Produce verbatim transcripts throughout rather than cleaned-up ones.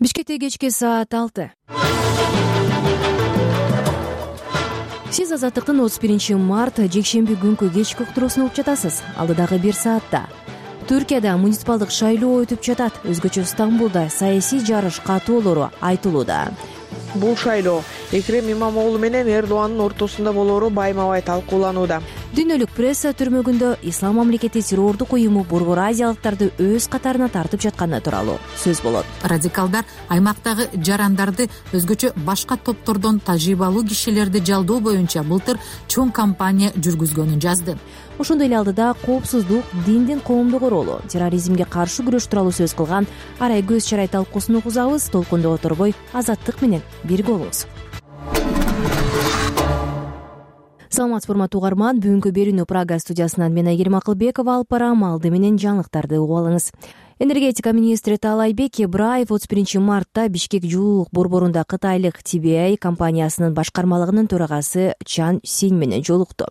Бишкекте кечки саат алты. Сиз Азаттыктын отуз биринчи март жекшемби күнкү кечки уктуруусун угуп жатасыз. Алдыдагы бир саатта Түркияда муниципалдык шайлоо өтүп жатат. Өзгөчө Стамбулда саясий жарыш катуулоору айтылууда. Бул шайлоо Экрем Имамоглу менен Эрдоандын ортосунда болоору байма-бай талкууланууда. Дүйнөлүк пресса түрмөгүндө Ислам мамлекети террордук уюму борбор азиялыктарды өз катарына тартып жатканы тууралуу сөз болот. Радикалдар аймактагы жарандарды өзгөчө башка топтордон тажрыйбалуу кишилерди жалдоо боюнча былтыр чоң кампания жүргүзгөнүн жазды. Ошондой эле алдыда коопсуздук, диндин коомду короолоо, терроризмге каршы күрөш тууралуу сөз кылган Арай Көз Чарай талкуусун угузабыз. Толкунда оторбой Азаттык менен бирге болуңуз. Саламатсызбы урматтуу угарман, бүгүнкү берүүнү Прага студиясынан мен Айгерим Акылбекова алып барам. Алды менен жаңылыктарды угуп алыңыз. Энергетика министри Таалайбек Ибраев отуз биринчи мартта Бишкек жылуулук борборунда кытайлык Ти Би Ай компаниясынын башкармалыгынын төрагасы Чан Синь менен жолукту.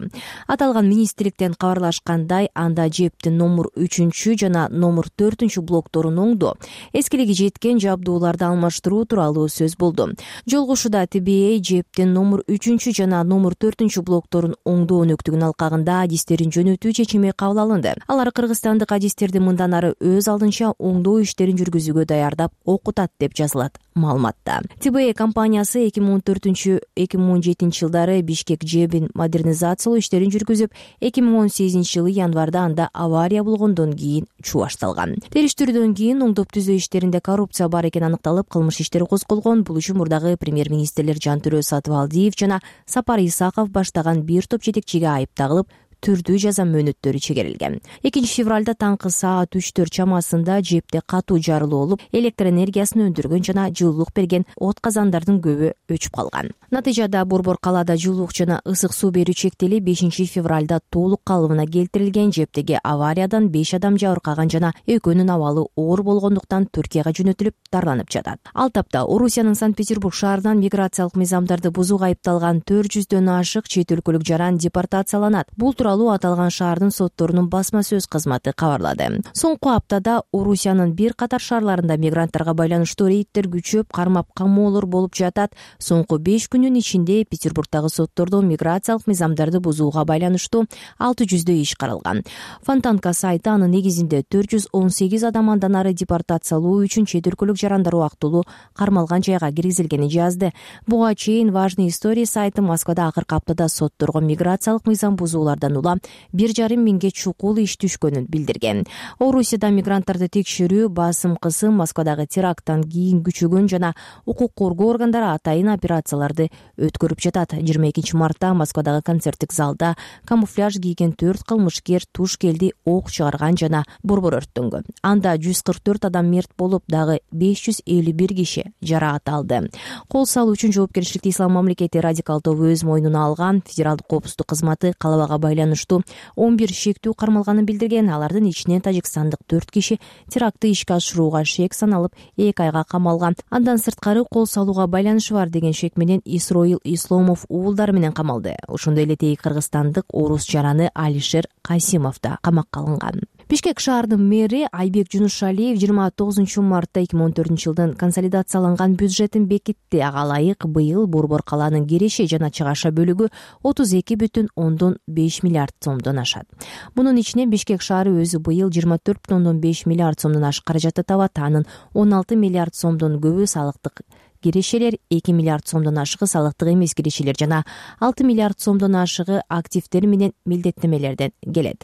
Аталган министрликтен кабарлашкандай, анда жептин номер үчүнчү жана номер төртүнчү блокторун оңдоо, эскилиги жеткен жабдууларды алмаштыруу тууралуу сөз болду. Жолугушууда Ти Би Ай жептин номер үчүнчү жана номер төртүнчү блокторун оңдоо өнөктүгүн алкагында адистерин жөнөтүү чечими кабыл алынды. Алар кыргызстандык адистерди мындан ары өз алдынча оңдоо иштерин жүргүзүүгө даярдап окутат деп жазылат маалыматта. Ти Би Ай компаниясы эки миң он төртүнчү — эки миң он жетинчи жылдары Бишкек жебин модернизациялоо иштерин жүргүзүп, эки миң он сегизинчи жылы январда анда авария болгондон кийин чубашталган. Териштирүүдөн кийин оңдоп түзөө иштеринде коррупция бар экени аныкталып, кылмыш иштери козголгон. Бул үчүн мурдагы премьер-министрлер Жантөрө Сатыбалдиев жана Сапар Исаков баштаган бир топ жетекчиге айып тагылып, түрдүү жаза мөөнөттөрү чегерилген. экинчи февралда таңкы саат үчтөр чамасында жепте катуу жарылуу болуп, электр энергиясын өндүргөн жана жылуулук берген от казандардын көбү өчүп калган. Натыйжада борбор калаада жылуулук жана ысык суу берүү чектелип, бешинчи февралда толук калыбына келтирилген. Жептеги авариядан беш адам жабыркаган жана экөөнүн абалы оор болгондуктан Түркияга жөнөтүлүп дарланып жатат. Ал тапта Орусиянын Санкт-Петербург шаарынан миграциялык мыйзамдарды бузууга айыпталган төрт жүздөн ашык чет өлкөлүк жаран депортацияланат. Бул аталган шаардын сотторунун басма сөз кызматы кабарлады. Соңку аптада Орусиянын бир катар шаарларында мигранттарга байланыштуу рейдтер күчөп, кармап камоолор болуп жатат. Соңку беш күнүн ичинде Петербургдагы соттордо миграциялык мыйзамдарды бузууга байланыштуу алты жүздөй иш каралган. Фонтанка сайты анын негизинде төрт жүз он сегиз адам андан ары депортациялоо үчүн чет өлкөлүк жарандар убактылуу кармалган жайга киргизилгенин жазды. Буга чейин Важный история сайты Москвада акыркы аптада сотторго миграциялык мыйзам бузуулардан улам бир жарым миңге чукул иш түшкөнүн билдирген. Орусияда мигранттарды текшерүү, басым кысым Москвадагы теракттан кийин күчөгөн жана укук коргоо органдары атайын операцияларды өткөрүп жатат. жыйырма экинчи мартта Москвадагы концерттик залда камуфляж кийген төрт кылмышкер туш келди ок чыгарган жана борбор өрттөнгөн. Анда жүз кырк төрт адам мерт болуп, дагы беш жүз элүү бир киши жаракат алды. Кол салуу үчүн жоопкерчиликти Ислам мамлекети радикал тобу өз мойнуна алган. Федералдык коопсуздук кызматы калабага байланыштуу он бир шектүү кармалганын билдирген. Алардын ичинен тажикстандык төрт киши терактты ишке ашырууга шек саналып, эки айга камалган. Андан сырткары кол салууга байланышы бар деген шек менен Исроил Исломов уулдары менен камалды. Ошондой эле тейги кыргызстандык орус жараны Алишер Касимов да камакка алынган. Бишкек шаарынын мэри Айбек Жунушалиев жыйырма тогузунчу мартта эки миң он төртүнчү жылдын консолидацияланган бюджетин бекитти. Ага ылайык быйыл борбор калаанын киреше жана чыгаша бөлүгү отуз эки бүтүн ондон беш миллиард сомдон ашат. Мунун ичинен Бишкек шаары өзү быйыл жыйырма төрт бүтүн ондон беш миллиард сомдон ашык каражатты табат. Анын он алты миллиард сомдон көбү салыктык кирешелер, эки миллиард сомдон ашыгы салыктык эмес кирешелер жана алты миллиард сомдон ашыгы активдер менен милдеттенмелерден келет.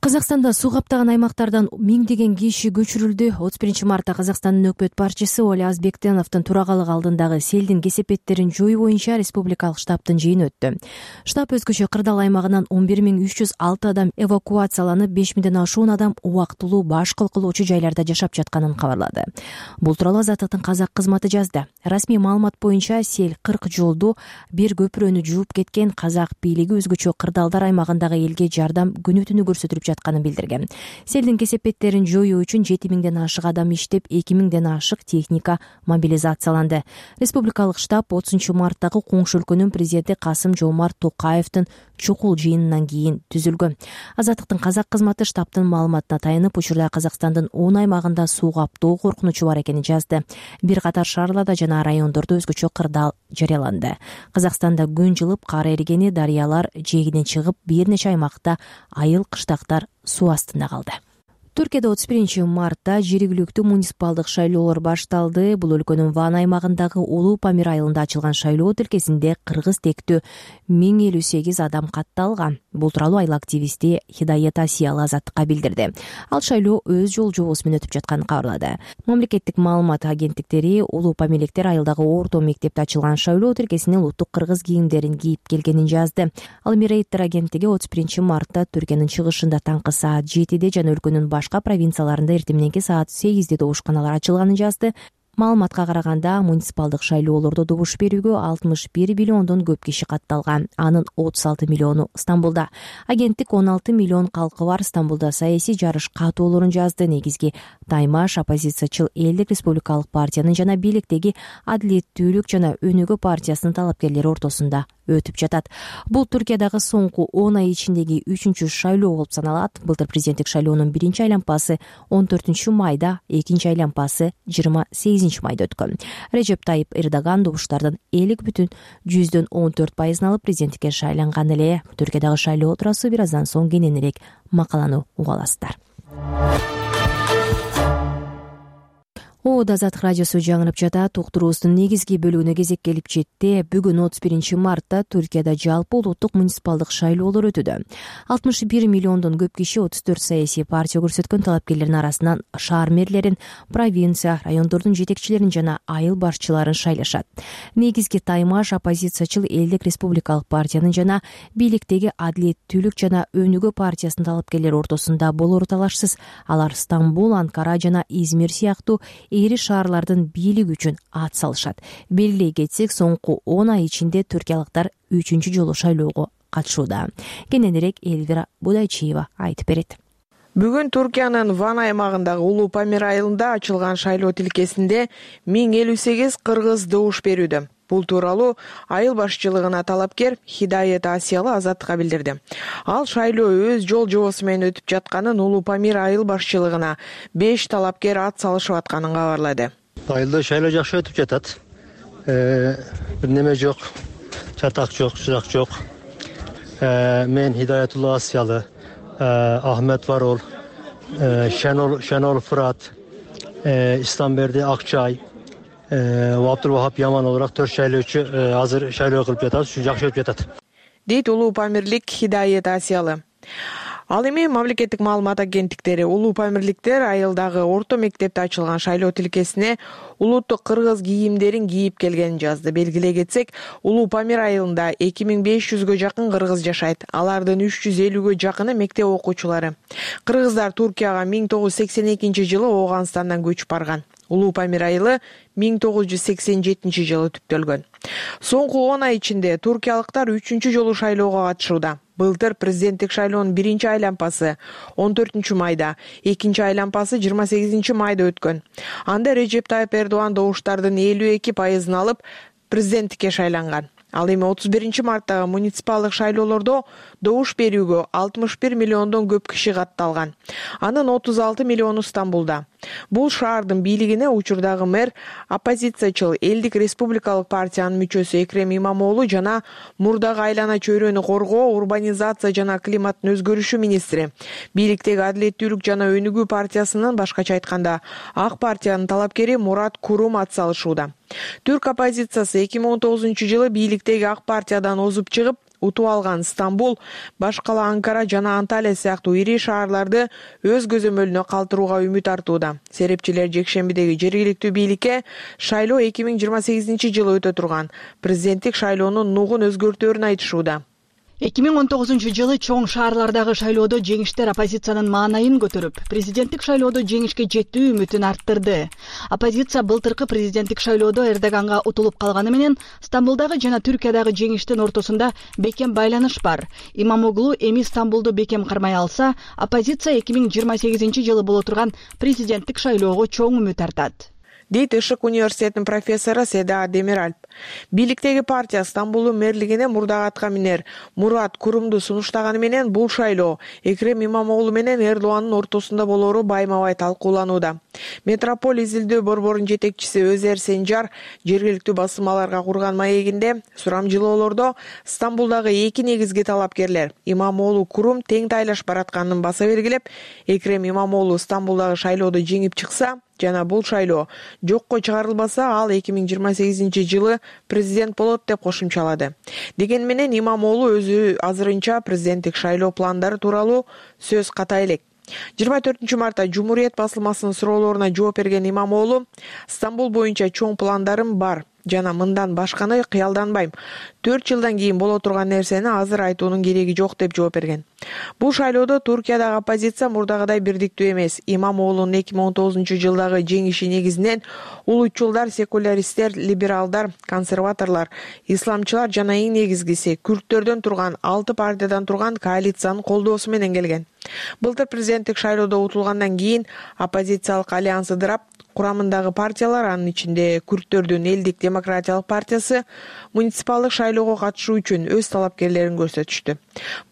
Казакстанда суу каптаган аймактардан миңдеген киши көчүрүлдү. отуз биринчи мартта Казакстандын өкмөт башчысы Оля Азбектеновдун турагалыгы алдындагы селдин кесепеттерин жою боюнча республикалык штабтын жыйыны өттү. Штаб өзгөчө кырдаал аймагынан он бир миң үч жүз алты адам эвакуацияланып, беш миңден ашуун адам убактылуу баш кылкылоочу жайларда жашап жатканын кабарлады. Бул тууралуу Азаттыктын казак кызматы жазды. Расмий маалымат боюнча сел кырк жолду бир көпүрөнү жууп кеткен. Казак бийлиги өзгөчө кырдаалдар аймагындагы элге жардам күнү түнү көрсөтүп жатканын билдирген. Селдин кесепеттерин жоюу үчүн жети миңден ашык адам иштеп, эки миңден ашык техника мобилизацияланды. Республикалык штаб отузунчу марттагы коңшу өлкөнүн президенти Касым-Жомарт Токаевдин чукул жыйынынан кийин түзүлгөн. Азаттыктын казак кызматы штабтын маалыматына таянып, учурда Казакстандын он аймагында суу каптоо коркунучу бар экенин жазды. Бир катар шаарларда жана райондордо өзгөчө кырдаал жарыяланды. Казакстанда күн жылып, кар эригени, дарыялар жээгинен чыгып, бир нече аймакта айыл кыштактар суу астында калды. Түркияда отуз биринчи мартта жергиликтүү муниципалдык шайлоолор башталды. Бул өлкөнүн Ван аймагындагы Улуу Памир айылында ачылган шайлоо тилкесинде кыргыз тектүү миң элүү сегиз адам катталган. Бул тууралуу айыл активисти Хидаят Асиялы Азаттыкка билдирди. Ал шайлоо өз жол жобосу менен өтүп жатканын кабарлады. Мамлекеттик маалымат агенттиктери улуу памирликтер айылдагы орто мектепте ачылган шайлоо тилкесине улуттук кыргыз кийимдерин кийип келгенин жазды. Ал эми Рейтер агенттиги отуз биринчи мартта Түркиянын чыгышында таңкы саат жетиде жана өлкөнүн башка провинцияларында эртең мененки саат сегизде добушканалар ачылганын жазды. Маалыматка караганда, муниципалдык шайлоолордо добуш берүүгө алтымыш бир миллиондон көп киши катталган. Анын отуз алты миллиону Стамбулда. Агенттик он алты миллион калкы бар Стамбулда саясий жарыш катуулорун жазды. Негизги Таймаш оппозициячыл Элдик республикалык партиянын жана бийликтеги Адилеттүүлүк жана Өнүгүү партиясынын талапкерлери ортосунда өтүп жатат. Бул Түркиядагы соңку он ай ичиндеги үчүнчү шайлоо болуп саналат. Былтыр президенттик шайлоонун биринчи айланпасы он төртүнчү майда, экинчи айланпасы жыйырма сегизинчи майда өткөн. Режеп Тайип Эрдоган добуштардын элүү бүтүн жүздөн он төрт пайызын алып президенттикке шайланган эле. Түркиядагы шайлоо туурасы бир аздан соң кененирээк макаланы уга аласыздар. Оод Азаттык радиосу жаңырып жатат. Уктуруубуздун негизги бөлүгүнө кезек келип жетти. Бүгүн отуз биринчи мартта Түркияда жалпы улуттук муниципалдык шайлоолор өтүүдө. алтымыш бир миллиондон көп киши отуз төрт саясий партия көрсөткөн талапкерлердин арасынан шаар мэрлерин, провинция, райондордун жетекчилерин жана айыл башчыларын шайлашат. Негизги Таймаш оппозициячыл Элдик республикалык партиянын жана бийликтеги Адилеттүүлүк жана Өнүгүү партиясынын талапкерлери ортосунда болору талашсыз. Алар Стамбул, Анкара жана Измир сыяктуу эри шаарлардын бийлиги үчүн ат салышат. Белгилей кетсек, соңку он ай ичинде түркиялыктар үчүнчү жолу шайлоого катышууда. Кененирээк Элвира Будайчиева айтып берет. Бүгүн Түркиянын Ван аймагындагы Улуу Памир айылында ачылган шайлоо тилкесинде миң элүү сегиз кыргыз добуш берүүдө. Бул тууралуу айыл башчылыгына талапкер Хидаят Асиялы Азаттыкка билдирди. Ал шайлоо өз жол жобосу менен өтүп жатканын, Улуу Памир айыл башчылыгына беш талапкер ат салышып атканын кабарлады. Айылда шайлоо жакшы өтүп жатат. Бир неме жок, чатак жок, сурак жок. Мен Хидаятулла Асиялы, Ахмет Варол, Шенол Шенол Фырат, Истамберди Акчай, Абдулвахап Яман olarak төрт шайлоочу азыр шайлоо кылып жатат, жакшы өтүп жатат. Дейт улуу памирлик Хидаят Асиялы. Ал эми мамлекеттик маалымат агенттиктери улуу памирликтер айылдагы орто мектепте ачылган шайлоо тилкесине улуттук кыргыз кийимдерин кийип келгенин жазды. Белгилей кетсек, Улуу Памир айылында эки миң беш жүзгө жакын кыргыз жашайт. Алардын үч жүз элүүгө жакыны мектеп окуучулары. Кыргыздар Туркияга миң тогуз жүз сексен экинчи жылы Ооганстандан көчүп барган. Улуу Памир айылы миң тогуз жүз сексен жетинчи жылы түптөлгөн. Соңку он ай ичинде туркиялыктар үчүнчү жолу шайлоого катышууда. Былтыр президенттик шайлоонун биринчи айланпасы он төртүнчү майда, экинчи айланпасы жыйырма сегизинчи майда өткөн. Анда Режеп Тайип Эрдоган добуштардын элүү эки пайызын алып президенттикке шайланган. Ал эми отуз биринчи марттагы муниципалдык шайлоолордо добуш берүүгө алтымыш бир миллиондон көп киши катталган. Анын отуз алты миллиону Стамбулда. Бул шаардын бийлигине учурдагы мэр оппозициячыл Элдик республикалык партиянын мүчөсү Экрем Имамоğlu жана мурдагы айлана чөйрөнү коргоо, урбанизация жана климаттын өзгөрүшү министри, бийликтеги Адилеттүүлүк жана Өнүгүү партиясынын, башкача айтканда Ак партиянын талапкери Мурат Курум ат салышууда. Түрк оппозициясы эки миң он тогузунчу жылы бийликтеги Ак партиядан озуп чыгып, утуп алган Стамбул, башкала Анкара жана Анталия сыяктуу ири шаарларды өз көзөмөлүнө калтырууга үмүт артууда. Серепчилер жекшембидеги жергиликтүү бийликке шайлоо эки миң жыйырма сегизинчи жылы өтө турган президенттик шайлоонун нугун өзгөртөөрүн айтышууда. эки миң он тогузунчу жылы чоң шаарлардагы шайлоодо жеңиштер оппозициянын маанайын көтөрүп, президенттик шайлоодо жеңишке жетүү үмүтүн арттырды. Оппозиция былтыркы президенттик шайлоодо Эрдоганга утулуп калганы менен Стамбулдагы жана Түркиядагы жеңиштин ортосунда бекем байланыш бар. Имамоглу эми Стамбулду бекем кармай алса, оппозиция эки миң жыйырма сегизинчи жылы боло турган президенттик шайлоого чоң үмүт артат, дейт Ишык университетинин профессору Седа Демиралп. Бийликтеги партия Стамбулдун мэрлигине мурдагы атка минер Мурат Курумду сунуштаганы менен бул шайлоо Экрем Имамоглу менен Эрдогандын ортосунда болоору байма-бай талкууланууда. Метрополь изилдөө борборунун жетекчиси Өзер Сенжар жергиликтүү басылмаларга курган маегинде сурамжылоолордо Стамбулдагы эки негизги талапкерлер Имамоглу Курум тең тайлаш баратканын баса бергилеп, Экрем Имамоглу Стамбулдагы шайлоодо жеңип чыкса жана бул шайлоо жокко чыгарылбаса, ал эки миң жыйырма сегизинчи жылы президент болот деп кошумчалады. Деген менен Имамоглу өзү азырынча президенттик шайлоо пландары тууралуу сөз ката элек. жыйырма төртүнчү мартта Жумуриет басылмасынын суроолоруна жооп берген Имамоглу Стамбул боюнча чоң пландарым бар жана мындан башканы кыялданбайм. төрт жылдан кийин боло турган нерсени азыр айтуунун кереги жок деп жооп берген. Бул шайлоодо Туркиядагы оппозиция мурдагыдай бирдиктүү эмес. Имамоглунун эки миң он тогузунчу жылдагы жеңиши негизинен улутчулдар, секуляристтер, либералдар, консерваторлор, исламчылар жана эң негизгиси күрттөрдөн турган алты партиядан турган коалициянын колдоосу менен келген. Былтыр президенттик шайлоодо утулгандан кийин оппозициялык альянс ыдырап, курамындагы партиялар, анын ичинде күрттөрдүн Элдик демократиялык партиясы, муниципалдык шайлоого катышуу үчүн өз талапкерлерин көрсөтүштү.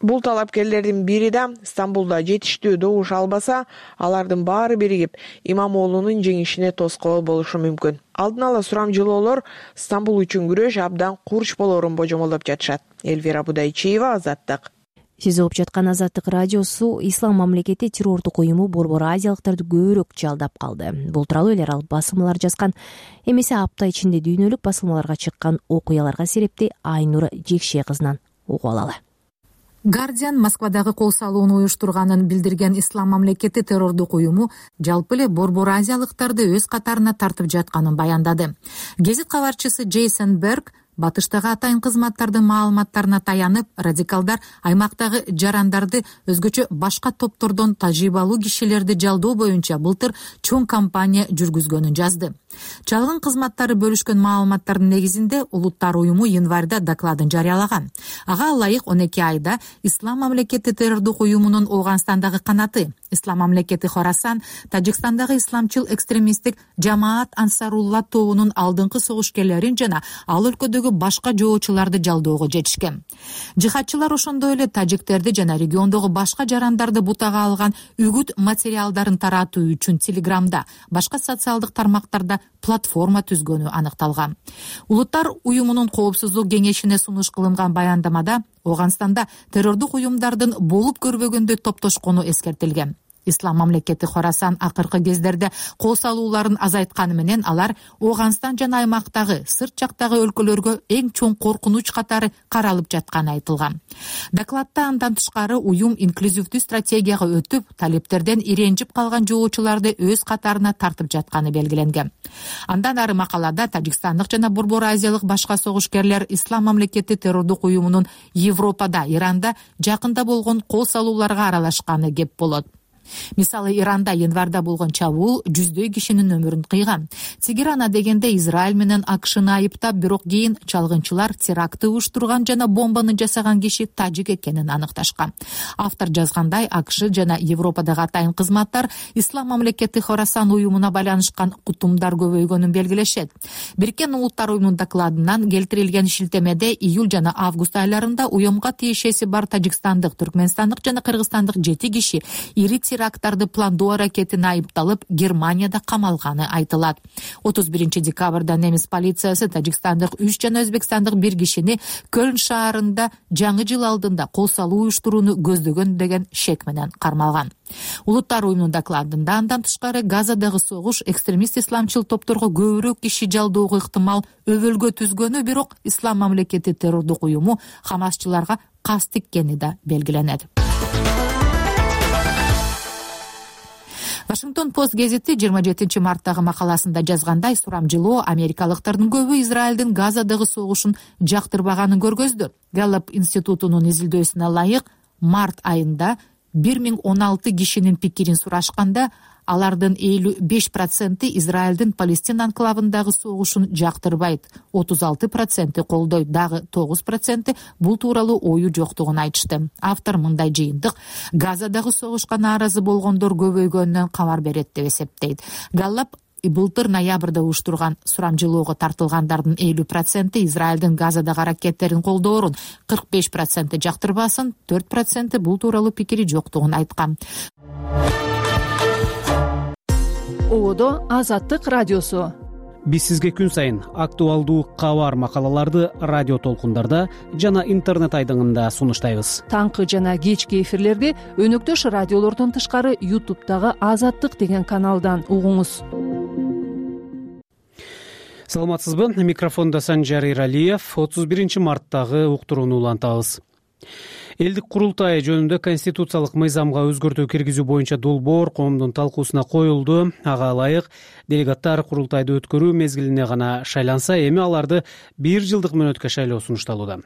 Бул талапкерлердин бири да Стамбулда жетиштүү добуш албаса, алардын баары биригип Имамоглунун жеңишине тоскоол болушу мүмкүн. Алдын ала сурамжылоолор Стамбул үчүн күрөш абдан курч болоорун божомолдоп жатышат. Элвира Будайчиева, Азаттык. Сиз угуп жаткан Азаттык радиосу. Ислам мамлекети террордук уюму борбор азиялыктарды көбүрөөк жалдап калды. Бул тууралуу эл аралык басылмалар жазган. Эмесе апта ичинде дүйнөлүк басылмаларга чыккан окуяларга серепти Айнур Жекше кызынан угуп алалы. Гардиан Москвадагы кол салууну уюштурганын билдирген Ислам мамлекети террордук уюму жалпы эле борбор азиялыктарды өз катарына тартып жатканын баяндады. Гезит кабарчысы Джейсон Берг батыштагы атайын кызматтардын маалыматтарына таянып, радикалдар аймактагы жарандарды өзгөчө башка топтордон тажрыйбалуу кишилерди жалдоо боюнча былтыр чоң кампания жүргүзгөнүн жазды. Чалгын кызматтары бөлүшкөн маалыматтардын негизинде Улуттар уюму январда докладын жарыялаган. Ага ылайык он эки айда Ислам мамлекети террордук уюмунун Ооганстандагы канаты, Ислам мамлекети Хорасан, Тажикстандагы исламчыл экстремисттик Жамаат Ансарулла тобунун алдыңкы согушкерлерин жана ал өлкөдөгү башка жоочуларды жалдоого жетишкен. Жихадчылар ошондой эле тажиктерди жана региондогу башка жарандарды бутага алган үгүт материалдарын таратуу үчүн Телеграмда, башка социалдык тармактарда платформа түзгөнү аныкталган. Улуттар уюмунун коопсуздук кеңешине сунуш кылынган баяндамада Ооганстанда террордук уюмдардын болуп көрбөгөндөй топтошкону эскертилген. Ислам мамлекети Хорасан акыркы кездерде кол салууларын азайтканы менен алар Ооганстан жана аймактагы сырт жактагы өлкөлөргө эң чоң коркунуч катары каралып жатканы айтылган. Докладта андан тышкары уюм инклюзивдүү стратегияга өтүп, талептерден иренжип калган жоочуларды өз катарына тартып жатканы белгиленген. Андан ары макалада тажикстандык жана борбор азиялык башка согушкерлер Ислам мамлекети террордук уюмунун Европада, Иранда жакында болгон кол салууларга аралашканы кеп болот. Мисалы, Иранда январда болгон чабуул жүздөй кишинин өмүрүн кыйган. Тегеран адегенде Израиль менен АКШны айыптап, бирок кийин чалгынчылар терактты уюштурган жана бомбаны жасаган киши тажик экенин аныкташкан. Автор жазгандай, АКШ жана Европадагы атайын кызматтар Ислам мамлекети Хорасан уюмуна байланышкан кутумдар көбөйгөнүн белгилешет. Бириккен Улуттар уюмунун докладынан келтирилген шилтемеде июль жана август айларында уюмга тиешеси бар тажикстандык, түркмөнстандык жана кыргызстандык жети киши ири теракттарды пландоо аракетине айыпталып, Германияда камалганы айтылат. отуз биринчи декабрда немис полициясы тажикстандык үч жана өзбекстандык бир кишини Көлн шаарында жаңы жыл алдында кол салуу уюштурууну көздөгөн деген шек менен кармалган. Улуттар уюмунун докладында андан тышкары Газадагы согуш экстремист исламчыл топторго көбүрөөк киши жалдоого ыктымал өбөлгө түзгөнү, бирок Ислам мамлекети террордук уюму Хамасчыларга кас тиккени да белгиленет. Вашингтон Пост гезити жыйырма жетинчи марттагы макаласында жазгандай, сурамжылоо америкалыктардын көбү Израилдин Газадагы согушун жактырбаганын көргөздү. Галлап институтунун изилдөөсүнө ылайык, март айында бир миң он алты кишинин пикирин сурашканда, алардын элүү беш проценти Израилдин Палестина анклавындагы согушун жактырбайт, отуз алты проценти колдойт, дагы тогуз проценти бул тууралуу ою жоктугун айтышты. Автор мындай жыйынтык Газадагы согушка нааразы болгондор көбөйгөнүнөн кабар берет деп эсептейт. Галлап былтыр ноябрда уюштурган сурамжылоого тартылгандардын элүү проценти Израилдин Газадагы аракеттерин колдоорун, кырк беш проценти жактырбасын, төрт проценти бул тууралуу пикири жоктугун айткан. Ободо Азаттык радиосу. Биз сизге күн сайын актуалдуу кабар макалаларды радио толкундарда жана интернет айдыңында сунуштайбыз. Таңкы жана кечки эфирлерди өнөктөш радиолордон тышкары ютубтагы Азаттык деген каналдан угуңуз. Саламатсызбы? Микрофондо Санжар Иралиев. отуз биринчи марттагы уктурууну улантабыз. Элдик курултай жөнүндө конституциялык мыйзамга өзгөртүү киргизүү боюнча долбоор коомдун талкуусуна коюлду. Ага ылайык делегаттар курултайды өткөрүү мезгилине гана шайланса, эми аларды бир жылдык мөөнөткө шайлоо сунушталууда.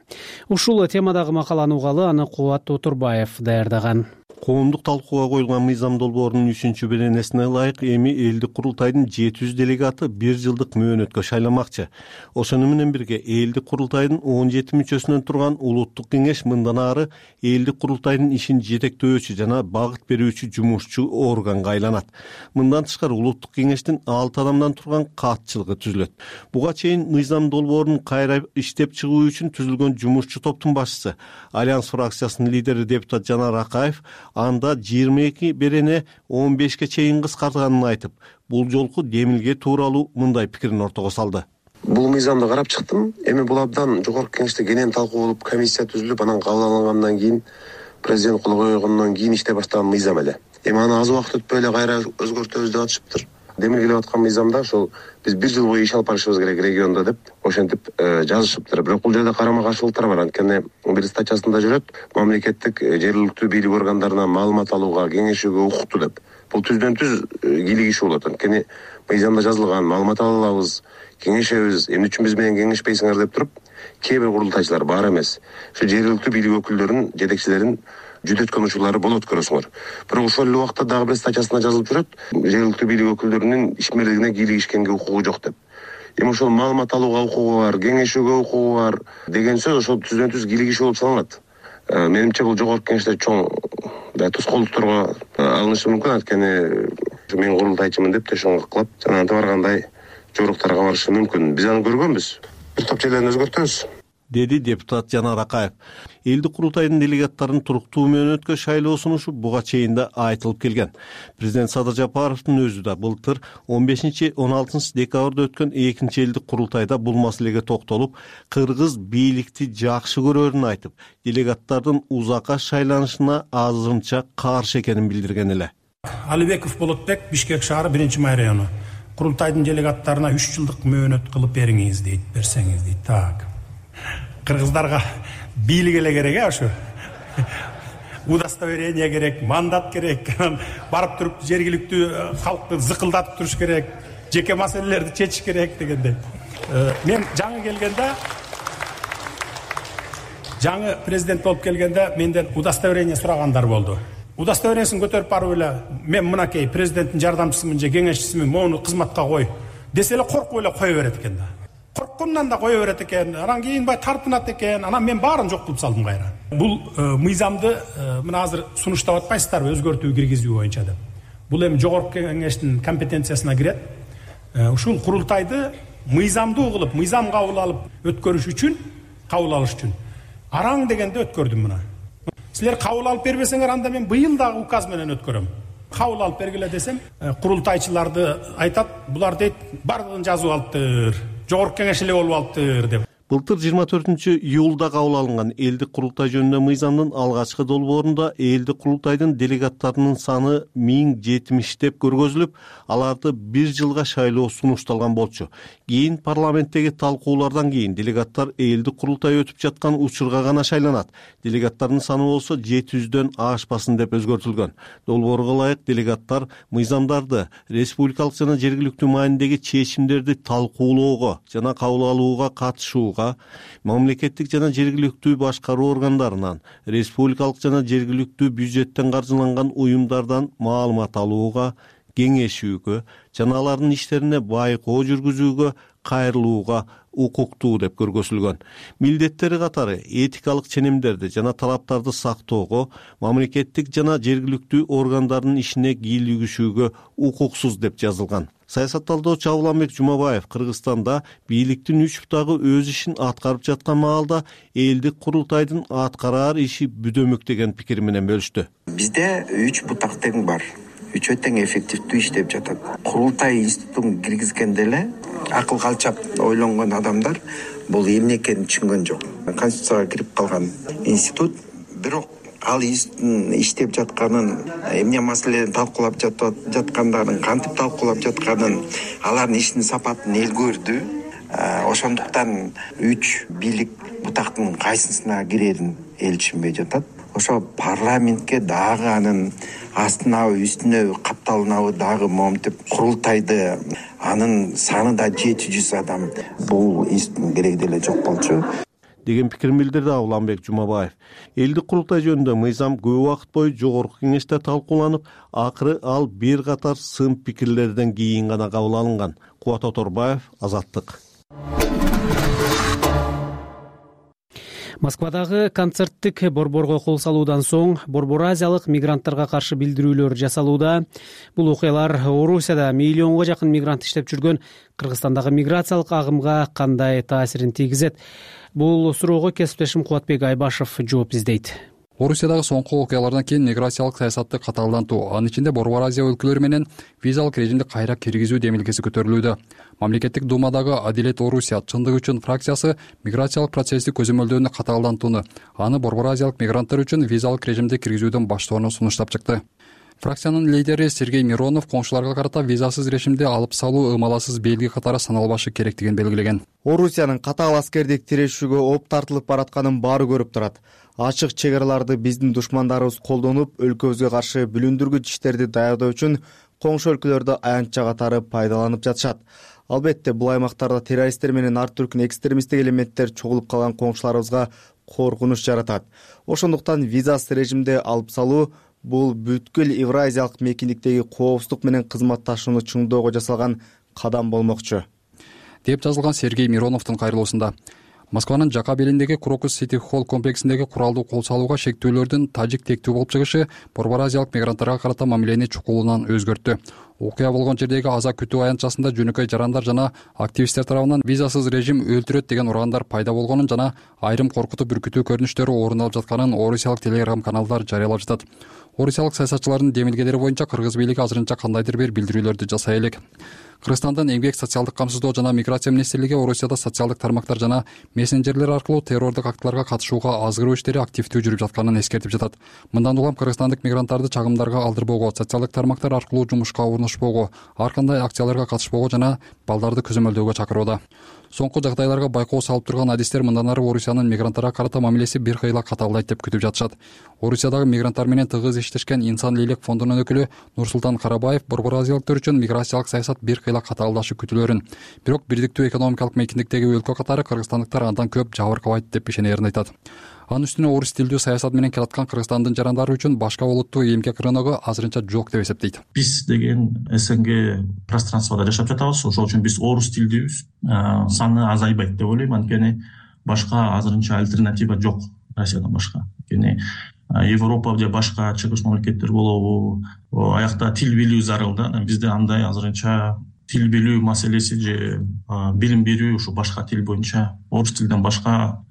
Ушул темадагы макаланы угалы аны Кубат Отурбаев даярдаган. Коомдук талкууга коюлган мыйзам долбоорунун үчүнчү беренесине ылайык эми элдик курултайдын жети жүз делегаты бир жылдык мөөнөткө шайламакчы. Ошону менен бирге элдик курултайдын он жети мүчөсүнөн турган улуттук кеңеш мындан ары элдик курултайдын ишин жетектөөчү жана багыт берүүчү жумушчу органга айланат. Мындан тышкары улуттук кеңештин алты адамдан турган катчылыгы түзүлөт. Буга чейин мыйзам долбоорун кайра иштеп чыгуу үчүн түзүлгөн жумушчу топтун башчысы, Альянс фракциясынын лидери депутат Жанар Акаев анда жыйырма эки берене он бешке чейин кыскартганын айтып, бул жолку демилге тууралуу мындай пикирин ортого салды. Бул мыйзамды карап чыктым. Эми бул абдан жогорку кеңеште кенен талкуу болуп, комиссия түзүлүп, анан кабыл алынгандан кийин, президент кол койгондон кийин иштей баштаган мыйзам эле. Эми аны аз убакыт өтпөй эле кайра өзгөртөбүз деп атышыптыр. Демилгелеп аткан мыйзамда ошол биз бир жыл бою иш алып барышыбыз керек региондо деп ошентип жазышыптыр. Бирок бул жерде карама каршылыктар бар. Анткени бир статьясында жүрөт, мамлекеттик жергиликтүү бийлик органдарына маалымат алууга, кеңешүүгө укуктуу деп. Бул түздөн түз кийлигишүү болот. Анткени мыйзамда жазылган маалымат ала алабыз, кеңешебиз, эмне үчүн биз менен кеңешпейсиңер деп туруп, кээ бир курултайчылар бар эмес. Ушу жергиликтүү бийлик өкүлдөрүнүн, жетекчилерин жүдөткөн учурлары болот көрөсүңөр. Бирок ошол эле убакта дагы бир статьясында жазылып жүрөт, жергиликтүү бийлик өкүлдөрүнүн ишмерлигине кийлигишкенге укугу жок деп. Эми ошол маалымат алууга укугу бар, кеңешүүгө укугу бар деген сөз ошол түздөн түз кийлигишүү болуп саналат. Менимче бул жогорку кеңеште чоң тоскоолдукторго алынышы мүмкүн. Анткени мен курултайчымын деп төшөңгө кылып, жана антип баргандай жоруктарга барышы мүмкүн. Биз аны көргөнбүз. Бир топ жерлерин өзгөртөбүз, деди депутат Жанар Акаев. Элдик курултайдын делегаттарын туруктуу мөөнөткө шайлоо сунушу буга чейин да айтылып келген. Президент Садыр Жапаровдун өзү да былтыр он бешинчи он алтынчы декабрда өткөн экинчи элдик курултайда бул маселеге токтолуп, кыргыз бийликти жакшы көрөрүн айтып, делегаттардын узакка шайланышына азырынча каршы экенин билдирген эле. Алибеков Болотбек, Бишкек шаары биринчи май району. Курултайдын делегаттарына үч жылдык мөөнөт кылып бериңиз дейт, берсеңиз дейт. Так. Кыргыздарга бийлик эле керек, а ошо. Удостоверение керек, мандат керек. Барып туруп жергиликтүү калкты зыкылдатып туруш керек, жеке маселелерди чечиш керек дегендей. Мен жаңы келгенде, жаңы президент болуп келгенде менден удостоверение сурагандар болду. Удостоверениесин көтөрүп барып эле, мен мынакей президенттин жардамчысымын же кеңешчисимин, моуну кызматка кой десе эле коркуп эле кое берет экен да. Корккондон да кое берет экен, анан кийин бай тартынат экен, анан мен баарын жок кылып салдым кайра. Бул мыйзамды мына азыр сунуштап атпайсыздарбы өзгөртүү киргизүү боюнча деп. Бул эми жогорку кеңештин компетенциясына кирет. Ушул курултайды мыйзамды угулуп, мыйзам кабыл алып өткөрүш үчүн, кабыл алыш үчүн араң дегенде өткөрдүм мына. Силер кабыл алып бербесеңер, анда мен быйыл дагы указ менен өткөрөм. Кабыл алып бергиле десем, курултайчыларды айтат, булар дейт, бардыгын жазып алыптыр, жогорку кеңеш эле болуп алыптыр деп. Былтыр жыйырма төртүнчү июлда кабыл алынган элдик курултай жөнүндө мыйзамдын алгачкы долбоорунда элдик курултайдын делегаттарынын саны миң жетимиш деп көргөзүлүп, аларды бир жылга шайлоо сунушталган болчу. Кийин парламенттеги талкуулардан кийин делегаттар элдик курултай өтүп жаткан учурга гана шайланат. Делегаттардын саны болсо жети жүздөн ашпасын деп өзгөртүлгөн. Долбоорго ылайык делегаттар мыйзамдарды, республикалык жана жергиликтүү маанидеги чечимдерди талкуулоого жана кабыл алууга катышууга, мамлекеттик жана жергиликтүү башкаруу органдарынан, республикалык жана жергиликтүү бюджеттен каржыланган уюмдардан маалымат алууга, кеңешүүгө жана алардын иштерине байкоо жүргүзүүгө кайрылууга укуктуу деп көргөзүлгөн. Милдеттери катары этикалык ченемдерди жана талаптарды сактоого, мамлекеттик жана жергиликтүү органдардын ишине кийлигишүүгө укуксуз деп жазылган. Саясатталдоочу Абуланбек Жумабаев Кыргызстанда бийликтин үч бутагы өз ишин аткарып жаткан маалда элдик курултайдын аткараар иши бүдөмүк деген пикир менен бөлүштү. Бизде үч бутак тең бар. Үчөө тең эффективдүү иштеп жатат. Курултай институтун киргизгенде эле акыл калчап ойлонгон адамдар бул эмне экенин түшүнгөн жок. Конституцияга кирип калган институт, бирок ал институттун иштеп жатканын, эмне маселени талкуулап жаткандарын, кантип талкуулап жатканын, алардын ишинин сапатын эл көрдү. Ошондуктан үч бийлик бутактын кайсысына кирерин эл түшүнбөй жатат. Ошо парламентке дагы анын астынабы, үстүнө катталынабы дагы момтип курултайды, анын саны да жети жүз адам. Бул институттун кереги деле жок болчу деген пикирин билдирди Абуланбек Жумабаев. Элдик курултай жөнүндө мыйзам көп убакыт бою жогорку кеңеште талкууланып, акыры ал бир катар сын пикирлерден кийин гана кабыл алынган. Кубат Оторбаев, Азаттык. Москвадагы концерттик борборго кол салуудан соң Борбор Азиялык мигранттарга каршы билдирүүлөр жасалууда. Бул окуялар Орусияда миллионго жакын мигрант иштеп жүргөн Кыргызстандагы миграциялык агымга кандай таасирин тийгизет? Бул суроого кесиптешим Кубатбек Айбашев жооп издейт. Орусиядагы соңку окуялардан кийин миграциялык саясатты катаалдантуу, анын ичинде Борбор Азия өлкөлөрү менен визалык режимди кайра киргизүү демилгеси көтөрүлүүдө. Мамлекеттик думадагы Адилет Орусия чындык үчүн фракциясы миграциялык процесси көзөмөлдөөнү катаалдантууну, аны Борбор Азиялык мигранттар үчүн визалык режимди киргизүүдөн баштоону сунуштап чыкты. Фракциянын лидери Сергей Миронов коңшуларга карата визасыз режимди алып салуу ымаласыз белги катары саналбашы керектигин белгилеген. Орусиянын катаал аскердик тирешүүгө оп тартылып баратканын баары көрүп турат. Ачык чек араларды биздин душмандарыбыз колдонуп, өлкөбүзгө каршы бүлүндүргүч иштерди даярдоо үчүн коңшу өлкөлөрдө аянтча катары пайдаланып жатышат. Албетте, бул аймактарда террористтер менен ар түркүн экстремисттик элементтер чогулуп калган коңшуларыбызга коркунуч жаратат. Ошондуктан визасыз режимди алып салуу бул бүткүл Евразиялык мейкиндиктеги коопсуздук менен кызматташууну чыңдоого жасалган кадам болмокчу, деп жазылган Сергей Мироновдун кайрылуусунда. Москванын жака белиндеги Крокус Сити Холл комплексиндеги куралдуу кол салууга шектүүлөрдүн тажик тектүү болуп чыгышы Борбор Азиялык мигранттарга карата мамилени чукулунан өзгөрттү. Окуя болгон жердеги Аза күтүү аянтчасында жөнөкөй жарандар жана активисттер тарабынан визасыз режим өлтүрөт деген урагандар пайда болгонун жана айрым коркутуп үркүтүү көрүнүштөрү орун алып жатканын орусиялык телеграм каналдар жарыялап жатат. Орусиялык саясатчылардын демилгелери боюнча кыргыз бийлиги азырынча кандайдыр бир билдирүүлөрдү жасай элек. Кыргызстандын эмгек социалдык камсыздоо жана миграция министрлиги Орусияда социалдык тармактар жана мессенджерлер аркылуу террордук актыларга катышууга азгыруу иштери активдүү жүрүп жатканын эскертип жатат. Мындан улам кыргызстандык мигранттарды чагымдарга алдырбоого, социалдык тармактар аркылуу жумушка орношпоого, ар кандай акцияларга катышпоого жана балдарды көзөмөлдөөгө чакырууда. Соңку жагдайларга байкоо салып турган адистер мындан ары Орусиянын мигранттарга карата мамилеси бир кыйла катаалдайт деп күтүп жатышат. Орусиядагы мигранттар менен тыгыз иштешкен Инсан Лейлек фондунун өкүлү Нурсултан Карабаев Борбор Азиялыктар үчүн миграциялык саясат бир кыйла катаалдашы күтүлөрүн, бирок бирдиктүү экономикалык мейкиндиктеги өлкө катары кыргызстандыктар андан көп жабыркабайт деп ишенерин айтат. Анын үстүнө орус тилдүү саясат менен келаткан Кыргызстандын жарандары үчүн башка улуттуу эмгек рыногу азырынча жок деп эсептейт. Биз деген СНГ пространствода жашап жатабыз, ошол үчүн биз орус тилдүүбүз, саны азайбайт деп ойлойм, анткени башка азырынча альтернатива жок Россиядан башка. Анткени Европа же башка чыгыш мамлекеттер болобу, аякта тил билүү зарыл да. Бизде андай азырынча тил билүү маселеси же билим берүү ушу башка тил боюнча орус тилден башка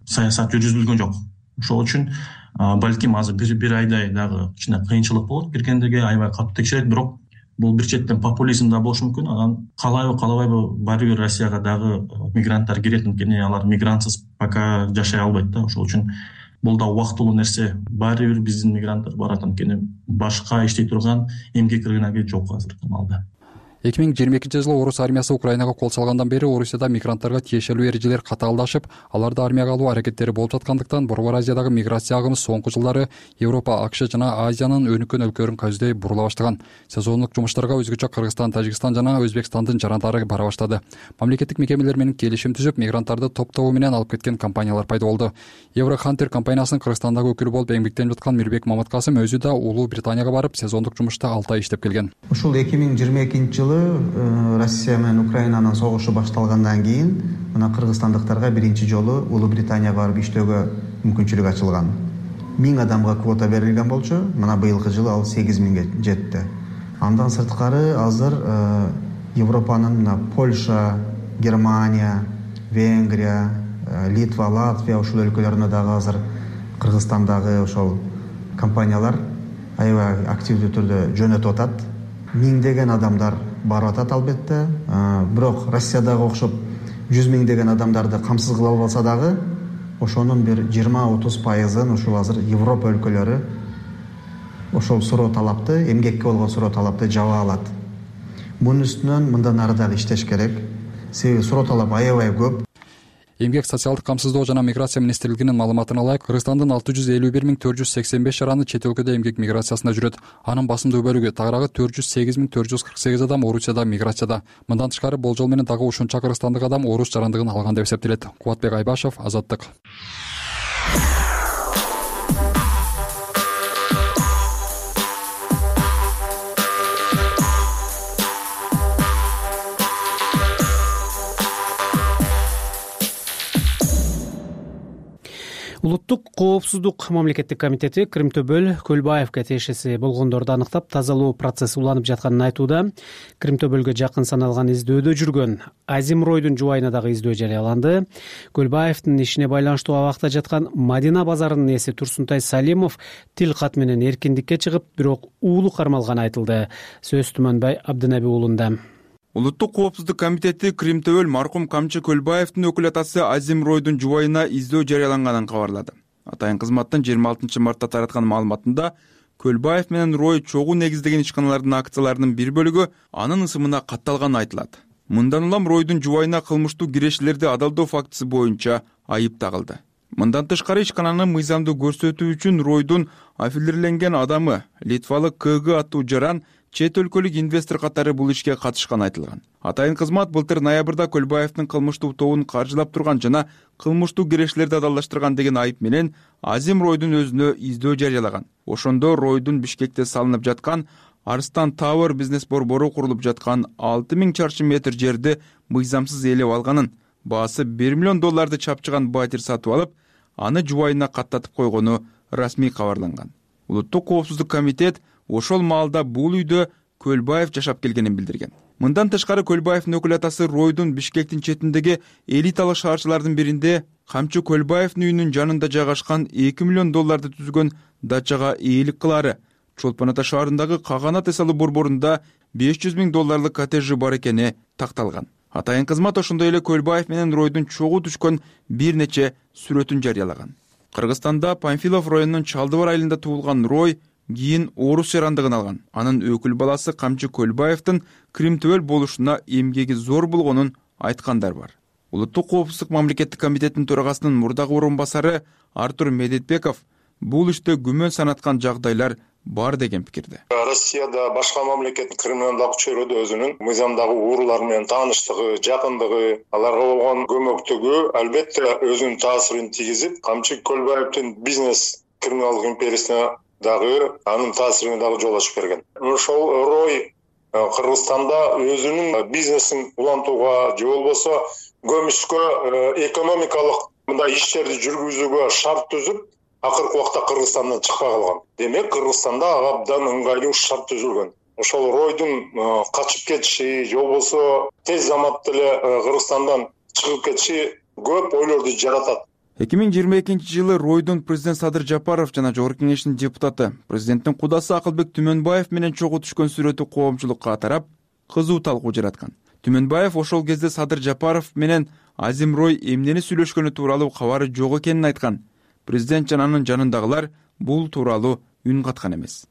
саясат жүргүзүлгөн жок. Ошол үчүн балким азыр бир бир айдай дагы кичине кыйынчылык болот. Киргендеге аябай катуу текшерет, бирок бул бир четтен популизм да болушу мүмкүн. Анан каалайбы каалабайбы баары бир Россияга дагы мигранттар кирет, анткени алар мигрантсыз пока жашай албайт да. Ошол үчүн бул да убактылуу нерсе. Баары бир биздин мигранттар барат, анткени башка иштей турган эмгек рыногу жок азыркы маалда. эки миң жыйырма экинчи жылы орус армиясы Украинага кол салгандан бери Орусияда мигранттарга тиешелүү эрежелер катаалдашып, аларды армияга алуу аракеттери болуп жаткандыктан Борбор Азиядагы миграция агымы соңку жылдары Европа, АКШ жана Азиянын өнүккөн өлкөлөрүн көздөй бурула баштаган. Сезондук жумуштарга өзгөчө Кыргызстан, Тажикстан жана Өзбекстандын жарандары бара баштады. Мамлекеттик мекемелер менен келишим түзүп, мигранттарды топтогу менен алып кеткен компаниялар пайда болду. Еврохантер компаниясынын Кыргызстандагы өкүлү болуп эмгектенип жаткан Мирбек Маматкасым өзү да Улуу Британияга барып, сезондук жумушта алты ай иштеп келген. Ушул эки миң жыйырма экинчи жылы Россия менен Украинанын согушу башталгандан кийин мына кыргызстандыктарга биринчи жолу Улуу Британияга барып иштөөгө мүмкүнчүлүк ачылган. миң адамга квота берилген болчу. Мына быйылкы жылы ал сегиз миңге жетти. Андан сырткары азыр Европанын мына Польша, Германия, Венгрия, Литва, Латвия ушул өлкөлөрүнө дагы азыр Кыргызстандагы ошол компаниялар аябай активдүү түрдө жөнөтүп атат. Миңдеген адамдар барып атат албетте. Бирок Россиядагы окшоп жүз миңдеген адамдарды камсыз кыла албаса дагы, ошонун бир жыйырма отуз пайызын ушул азыр Европа өлкөлөрү ошол суроо талапты, эмгекке болгон суроо талапты жаба алат. Мунун үстүнөн мындан ары дагы иштеш керек. Себеби суроо талап аябай көп. Эмгек, социалдык камсыздоо жана миграция министрлигинин маалыматына ылайык, Кыргызстандын алты жүз элүү бир миң төрт жүз сексен беш жараны чет өлкөдө эмгек миграциясында жүрөт. Анын басымдуу бөлүгү, тагыраагы төрт жүз сегиз миң төрт жүз кырк сегиз адам Орусияда миграцияда. Мындан тышкары болжол менен дагы ушунча кыргызстандык адам орус жарандыгын алган деп эсептелет. Кубатбек Айбашев, Азаттык. Улуттук коопсуздук мамлекеттик комитети Кримтөбөл Көлбаевге тиешеси болгондорду аныктап, тазалоо процесси уланып жатканын айтууда. Кримтөбөлгө жакын саналган издөөдө жүргөн Азим Ройдун жубайына дагы издөө жарыяланды. Көлбаевдин ишине байланыштуу абакта жаткан Мадина базарынын ээси Турсунтай Салимов тил кат менен эркиндикке чыгып, бирок уулу кармалганы айтылды. Сөз Түмөнбай Абдынаби уулунда. Улуттук коопсуздук комитети Кримтөбөл маркум Камчы Көлбаевдин өкүл атасы Азим Ройдун жубайына издөө жарыяланганын кабарлады. Атайын кызматтын жыйырма алтынчы мартта тараткан маалыматында Көлбаев менен Рой чогуу негиздеген ишканалардын акцияларынын бир бөлүгү анын ысымына катталганы айтылат. Мындан улам Ройдун жубайына кылмыштуу кирешилерди адалдоо фактысы боюнча айып тагылды. Мындан тышкары ишкананы мыйзамдуу көрсөтүү үчүн Ройдун аффилирленген адамы Литвалык КГ аттуу жаран чет өлкөлүк инвестор катары бул ишке катышканы айтылган. Атайын кызмат былтыр ноябрда Көлбаевдин кылмыштуу тобун каржылап турган жана кылмыштуу кирешилерди адалдаштырган деген айып менен Азим Ройдун өзүнө издөө жарыялаган. Ошондо Ройдун Бишкекте салынып жаткан Арстан Тауэр бизнес борбору курулуп жаткан алты миң чарчы метр жерди мыйзамсыз ээлеп алганын, баасы бир миллион долларды чапчыган байтер сатып алып, аны жубайына каттатып койгону расмий кабарланган. Улуттук коопсуздук комитет ошол маалда бул үйдө Көлбаев жашап келгенин билдирген. Мындан тышкары Көлбаевдин өкүл атасы Ройдун Бишкектин четиндеги элиталык шаарчылардын биринде Камчы Көлбаевдин үйүнүн жанында жайгашкан эки миллион долларды түзгөн дачага ээлик кылаары, Чолпон Ата шаарындагы Каганат эс алуу борборунда беш жүз миң долларлык коттеджи бар экени такталган. Атайын кызмат ошондой эле Көлбаев менен Ройдун чогуу түшкөн бир нече сүрөтүн жарыялаган. Кыргызстанда Памфилов районунун Чалдыбар айылында туулган Рой кийин орус жарандыгын алган. Анын өкүл баласы Камчы Көлбаевдин Кримтөбөл болушуна эмгеги зор болгонун айткандар бар. Улуттук коопсуздук мамлекеттик комитетинин төрагасынын мурдагы орун басары Артур Медетбеков бул иште күмөн санаткан жагдайлар бар деген пикирде. Россияда башка мамлекеттин криминалдык чөйрөдө өзүнүн мыйзамдагы уурулар менен тааныштыгы, жакындыгы, аларга болгон көмөктүгү албетте өзүнүн таасирин тийгизип, Камчы Көлбаевдин бизнес криминалдык империясына дагы анын таасирине дагы жол ачып берген. Ошол Рой Кыргызстанда өзүнүн бизнесин улантууга же болбосо көмүскө экономикалык мындай иштерди жүргүзүүгө шарт түзүп, акыркы убакта Кыргызстандан чыкпай калган. Демек, Кыргызстанда абдан ыңгайлуу шарт түзүлгөн. Ошол Ройдун качып кетиши же болбосо тез заматта эле Кыргызстандан чыгып кетиши көп ойлорду жаратат. эки миң жыйырма экинчи жылы ройдун президент Садыр Жапаров жана Жогорку Кеңештин депутаты, президенттин кудасы Акылбек Түмөнбаев менен чогуу түшкөн сүрөтү коомчулукка тарап, кызуу талкуу жараткан. Түмөнбаев ошол кезде Садыр Жапаров менен Азим Рой эмнени сүйлөшкөнү тууралуу кабары жок экенин айткан. Президент жана анын жанындагылар бул тууралуу үн каткан эмес.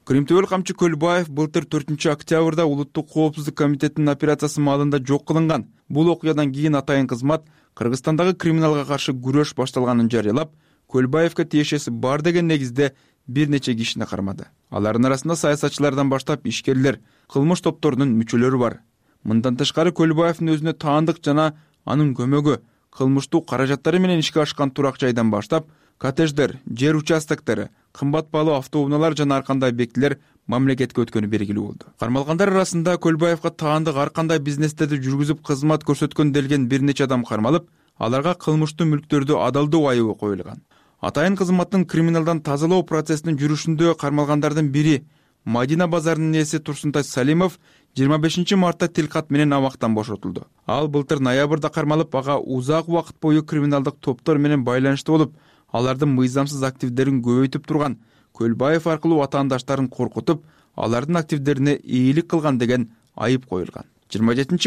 Кримтөбөл камчы Көлбаев былтыр төртүнчү октябрда Улуттук коопсуздук комитетинин операциясы маалында жок кылынган. Бул окуядан кийин атайын кызмат Кыргызстандагы криминалга каршы күрөш башталганын жарыялап, Көлбаевге тиешеси бар деген негизде бир нече кишини кармады. Алардын арасында саясатчылардан баштап ишкерлер, кылмыш топторунун мүчөлөрү бар. Мындан тышкары Көлбаевдин өзүнө таандык жана анын көмөгү кылмыштуу каражаттары менен ишке ашкан турак жайдан баштап, коттедждер, жер участоктори, кымбат баалуу автоунаалар жана ар кандай объектилер мамлекетке өткөнү белгилүү болду. Кармалгандар арасында Көлбаевга таандык ар кандай бизнестерди жүргүзүп кызмат көрсөткөн делген бир нече адам кармалып, аларга кылмыштуу мүлктөрдү адалдоо айыбы коюлган. Атайын кызматтын криминалдан тазалоо процессинин жүрүшүндө кармалгандардын бири Мадина базарынын ээси Турсунтай Салимов жыйырма бешинчи мартта тилкат менен абактан бошотулду. Ал былтыр ноябрда кармалып, ага узак убакыт бою криминалдык топтор менен байланыштуу болуп, алардын мыйзамсыз активдерин көбөйтүп турган, Көлбаев аркылуу атаандаштарын коркутуп, алардын активдерине ээлик кылган деген айып коюлган. жыйырма жетинчи